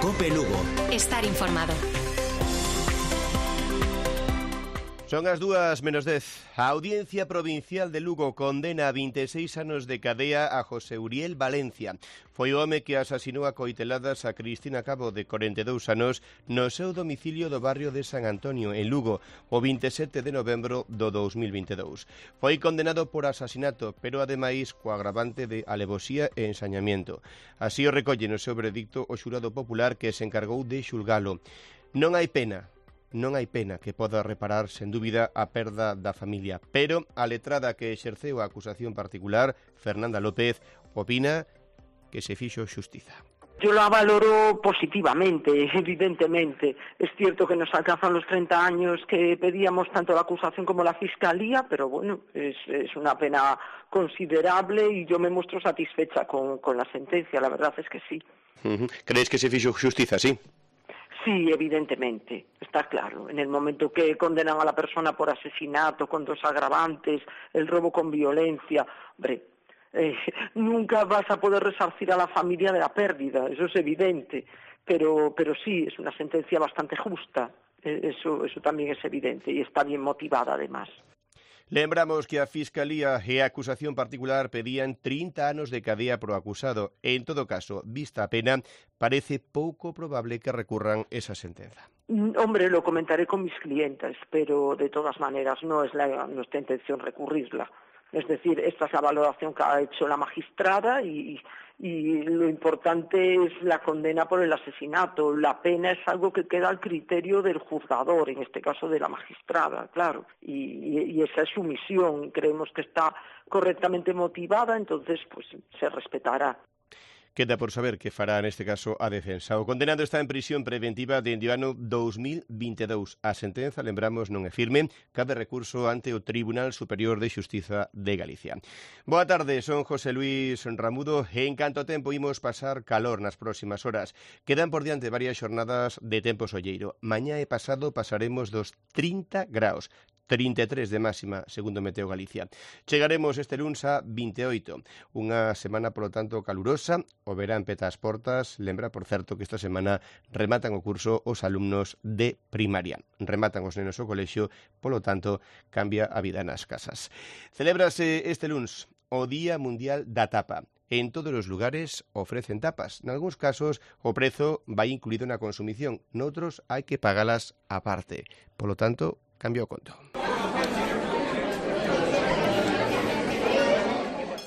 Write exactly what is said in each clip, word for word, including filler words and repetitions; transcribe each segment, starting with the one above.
COPE Lugo. Estar informado. Son as dúas menos dez. A Audiencia Provincial de Lugo condena a vinte e seis anos de cadea a José Uriel Valencia. Foi o home que asasinou a coiteladas a Cristina Cabo, de corenta e dous anos, no seu domicilio do barrio de San Antonio, en Lugo, o vinte e sete de novembro do dous mil vinte e dous. Foi condenado por asasinato, pero ademais co agravante de alevosía e ensañamiento. Así o recolle no seu veredicto o xurado popular que se encargou de xulgalo. Non hai pena. Non hai pena que poda reparar, sen dúbida, a perda da familia. Pero a letrada que exerceu a acusación particular, Fernanda López, opina que se fixo xustiza. Yo la valoro positivamente, evidentemente. Es cierto que nos alcanzan los treinta años que pedíamos tanto la acusación como la fiscalía, pero bueno, es, es una pena considerable y yo me muestro satisfecha con, con la sentencia, la verdad es que sí. Uh-huh. ¿Crees que se fixo xustiza, sí? Sí, evidentemente, está claro. En el momento que condenan a la persona por asesinato, con dos agravantes, el robo con violencia, hombre, eh, nunca vas a poder resarcir a la familia de la pérdida, eso es evidente. Pero, pero sí, es una sentencia bastante justa, eh, eso, eso también es evidente y está bien motivada además. Lembramos que a Fiscalía e a acusación particular pedían trinta anos de cadea pro acusado. En todo caso, vista a pena, parece pouco probable que recurran esa sentenza. Hombre, lo comentaré con mis clientes, pero de todas maneras no es la, nuestra intención recurrirla. Es decir, esta es la valoración que ha hecho la magistrada y, y lo importante es la condena por el asesinato. La pena es algo que queda al criterio del juzgador, en este caso de la magistrada, claro. Y, y esa es su misión. Creemos que está correctamente motivada, entonces pues se respetará. Queda por saber que fará neste caso a defensa. O condenado está en prisión preventiva dende o ano dous mil vinte e dous. A sentenza, lembramos, non é firme, cabe recurso ante o Tribunal Superior de Xustiza de Galicia. Boa tarde, son José Luis Ramudo e en canto tempo imos pasar calor nas próximas horas. Quedan por diante varias xornadas de tempo solleiro. Mañá e pasado pasaremos dos trinta graus. trinta e tres de máxima, segundo Meteo Galicia. Chegaremos este luns a vinte e oito. Unha semana, polo tanto, calurosa. O verán peta as portas. Lembra, por certo, que esta semana rematan o curso os alumnos de primaria. Rematan os nenos o colexio, polo tanto, cambia a vida nas casas. Celébrase este luns o Día Mundial da Tapa. En todos os lugares ofrecen tapas. En algúns casos, o prezo vai incluído na consumición. Noutros, hai que pagalas aparte. Polo tanto, cambia o conto.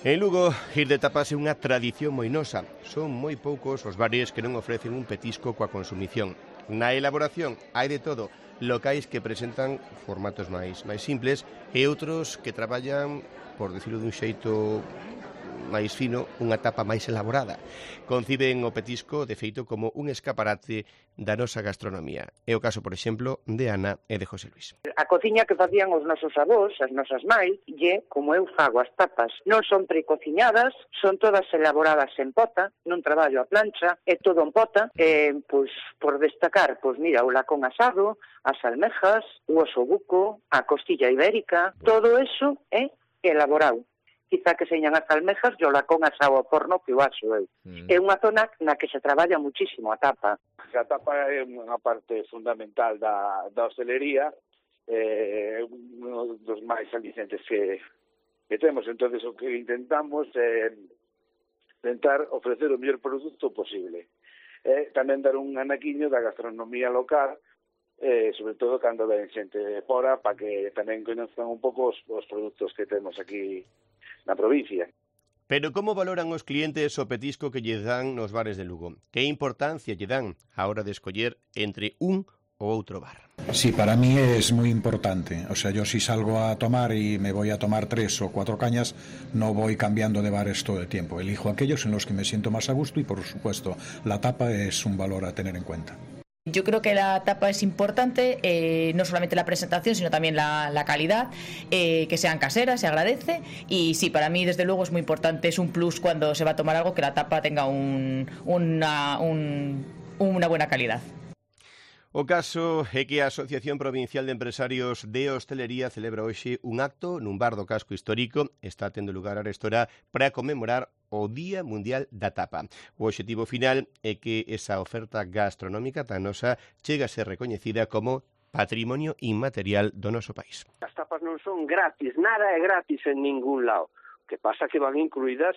En Lugo, ir de tapas é unha tradición moi nosa. Son moi poucos os bares que non ofrecen un petisco coa consumición. Na elaboración hai de todo, locais que presentan formatos máis máis simples e outros que traballan, por decirlo dun xeito máis fino, unha tapa máis elaborada. Conciben o petisco, de feito, como un escaparate da nosa gastronomía. É o caso, por exemplo, de Ana e de José Luis. A cociña que facían os nosos avós, as nosas máis, lle como eu fago as tapas. Non son precociñadas, son todas elaboradas en pota, non traballo a plancha, é todo en pota. E, pois, por destacar, pois mira, o lacón asado, as almejas, o oso buco, a costilla ibérica, todo eso é elaborado. Quizá que señan as almejas, yo la con asado ao forno que o aso eu. Mm. É unha zona na que se traballa muchísimo a tapa. A tapa é unha parte fundamental da, da hostelería, é eh, un dos máis alicientes que, que temos. Entonces o que intentamos é intentar ofrecer o mellor produto posible. Eh, tamén dar un anaquiño da gastronomía local, eh, sobre todo cando ven xente fora, para que tamén conozcan un pouco os, os produtos que temos aquí na provincia. Pero como valoran os clientes o petisco que lle dan nos bares de Lugo? Que importancia lle dan a hora de escoller entre un o outro bar? Sí, para mí es muy importante. O sea, yo si salgo a tomar y me voy a tomar tres o cuatro cañas, no voy cambiando de bares todo el tiempo. Elijo aquellos en los que me siento más a gusto y, por supuesto, la tapa es un valor a tener en cuenta. Yo creo que la tapa es importante, eh, no solamente la presentación, sino también la, la calidad, eh, que sean caseras, se agradece. Y sí, para mí, desde luego, es muy importante, es un plus cuando se va a tomar algo, que la tapa tenga un, una, un, una buena calidad. O caso é que a Asociación Provincial de Empresarios de Hostelería celebra hoxe un acto nun bar do casco histórico. Está tendo lugar a restora para conmemorar o Día Mundial da Tapa. O obxectivo final é que esa oferta gastronómica tan nosa chega a ser recoñecida como patrimonio inmaterial do noso país. As tapas non son gratis, nada é gratis en ningún lado. Que pasa que van incluídas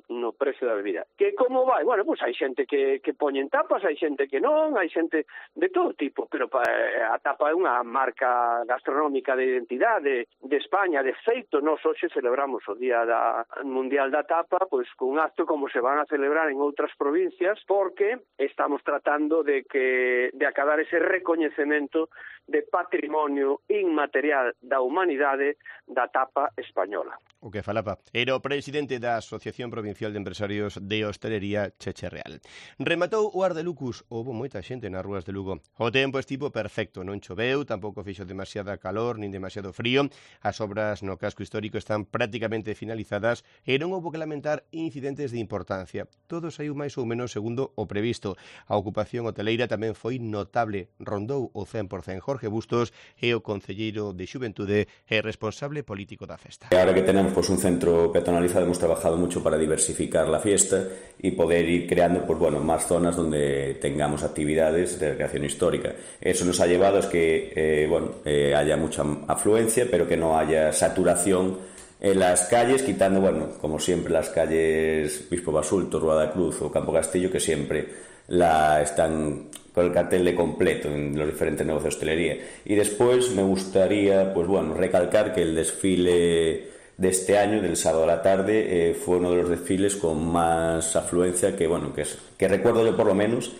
no precio da bebida. Que como vai? Bueno, pois hai xente que, que poñen tapas, hai xente que non, hai xente de todo tipo, pero a tapa é unha marca gastronómica de identidade de España. De feito, nós hoxe celebramos o Día da Mundial da Tapa, pois con un acto como se van a celebrar en outras provincias, porque estamos tratando de que de acabar ese recoñecemento de patrimonio inmaterial da humanidade da tapa española. O que falaba era o presidente da Asociación Provincial de Empresarios de Hostelería, Cheche Real. Rematou o Ar de Lucus, houbo moita xente nas rúas de Lugo. O tempo estivo perfecto, non choveu, tampouco fixo demasiada calor nin demasiado frío. As obras no casco histórico están prácticamente finalizadas e non houbo que lamentar incidentes de importancia. Todo saiu máis ou menos segundo o previsto. A ocupación hoteleira tamén foi notable, rondou o cen por cento. Jorge Bustos é o concelleiro de Xuventude e responsable político da festa. Ahora que tenemos pues un centro peatonalizado, hemos trabajado mucho para diversificar la fiesta y poder ir creando pues bueno más zonas donde tengamos actividades de recreación histórica. Eso nos ha llevado a que eh, bueno eh, haya mucha afluencia, pero que no haya saturación en las calles, quitando, bueno, como siempre, las calles Bispo Basulto, Rueda Cruz o Campo Castillo, que siempre la están con el cartel de completo en los diferentes negocios de hostelería. Y después me gustaría, pues bueno, recalcar que el desfile de este año, del sábado a la tarde, eh, fue uno de los desfiles con más afluencia que, bueno, que, es, que recuerdo yo por lo menos.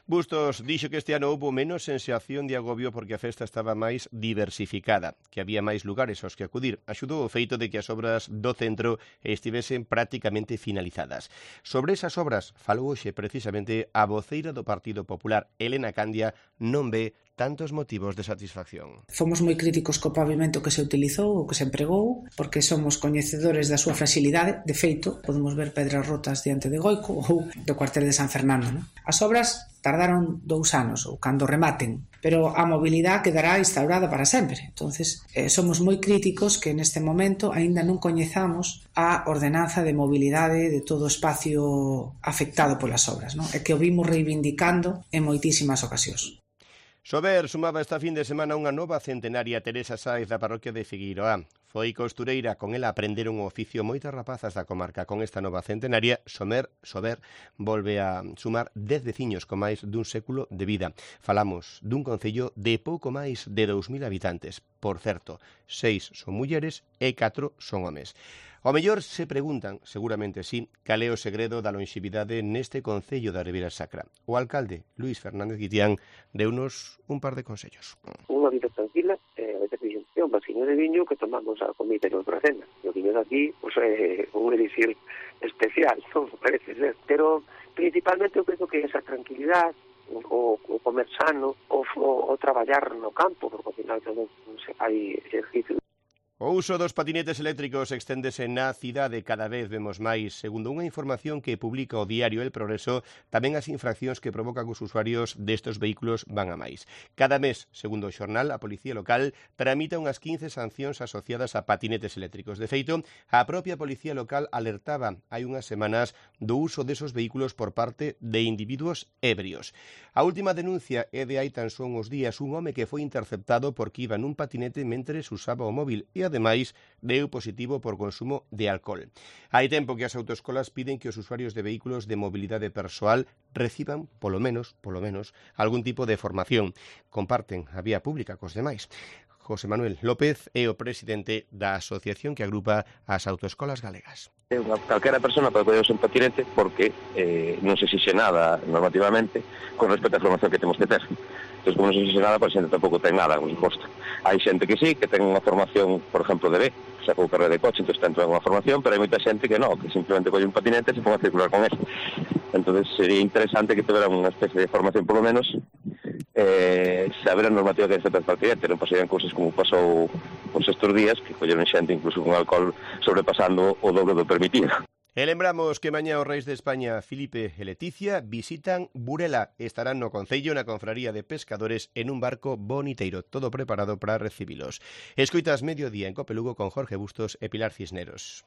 Bustos dixo que este ano houbo menos sensación de agobio porque a festa estaba máis diversificada, que había máis lugares aos que acudir. Axudou o feito de que as obras do centro estivesen prácticamente finalizadas. Sobre esas obras falou hoxe precisamente a voceira do Partido Popular, Elena Candia, non ve tantos motivos de satisfacción. Fomos moi críticos co pavimento que se utilizou ou que se empregou, porque somos coñecedores da súa fragilidade. De feito, podemos ver pedras rotas diante de Goico ou do cuartel de San Fernando, non? As obras tardaron dous anos, ou cando rematen, pero a mobilidade quedará instaurada para sempre. Entonces, eh, somos moi críticos que neste momento aínda non coñezamos a ordenanza de mobilidade de todo o espacio afectado polas obras, non? E que o vimos reivindicando en moitísimas ocasións. Sober sumaba esta fin de semana unha nova centenaria. Teresa Sáez da parroquia de Figueiroa. Foi costureira, con ela aprenderon o oficio moitas rapazas da comarca. Con esta nova centenaria, Somer, Sober volve a sumar dez veciños con máis dun século de vida. Falamos dun concello de pouco máis de dous mil habitantes. Por certo, seis son mulleres e catro son homes. Ao mellor se preguntan, seguramente sí, cal é o segredo da longevidade neste concello da Ribeira Sacra. O alcalde, Luís Fernández Guitián, deunos un par de consellos. Unha vida tranquila, eh, é un vasiño de viño que tomamos a comida e outra cena. O viño de aquí, pois, é unha edición especial, non parece ser. Pero, principalmente, eu penso que esa tranquilidade, o, o comer sano, o, o, o traballar no campo, porque ao final tamén hai exercicio. O uso dos patinetes eléctricos exténdese na cidade, cada vez vemos máis. Segundo unha información que publica o diario El Progreso, tamén as infraccións que provocan os usuarios destes vehículos van a máis. Cada mes, segundo o xornal, a Policía Local tramita unhas quince sancións asociadas a patinetes eléctricos. De feito, a propia Policía Local alertaba hai unhas semanas do uso desos vehículos por parte de individuos ebrios. A última denuncia é de hai tan só uns días, un home que foi interceptado porque iba nun patinete mentres usaba o móvil e ademais deu positivo por consumo de alcohol. Hai tempo que as autoescolas piden que os usuarios de vehículos de mobilidade persoal reciban, polo menos, polo menos, algún tipo de formación. Comparten a vía pública cos demais. José Manuel López é o presidente da asociación que agrupa as autoescolas galegas. Calquera persona pode poder usar un patinete porque eh, non se exixe nada normativamente con respecto á formación que temos que ter. Entón, como non se exixe nada, a xente tampouco ten nada, por suposto. Hai xente que sí, que ten unha formación, por exemplo, de B, xa pou carreira de coche, entón ten unha formación, pero hai moita xente que non, que simplemente colle un patinete e se pon a circular con eso. Entón, sería interesante que tuvera unha especie de formación, por lo menos, eh, saber a normativa que respecta ao patinete, non pasarían cousas como pasou os estes días, que colleron xente incluso con alcohol sobrepasando o doble do permitido. E lembramos que mañá os reis de España, Filipe e Leticia, visitan Burela. Estarán no Concello na Confraría de Pescadores en un barco boniteiro, todo preparado para recibilos. Escoitas Mediodía en Cope Lugo con Jorge Bustos e Pilar Cisneros.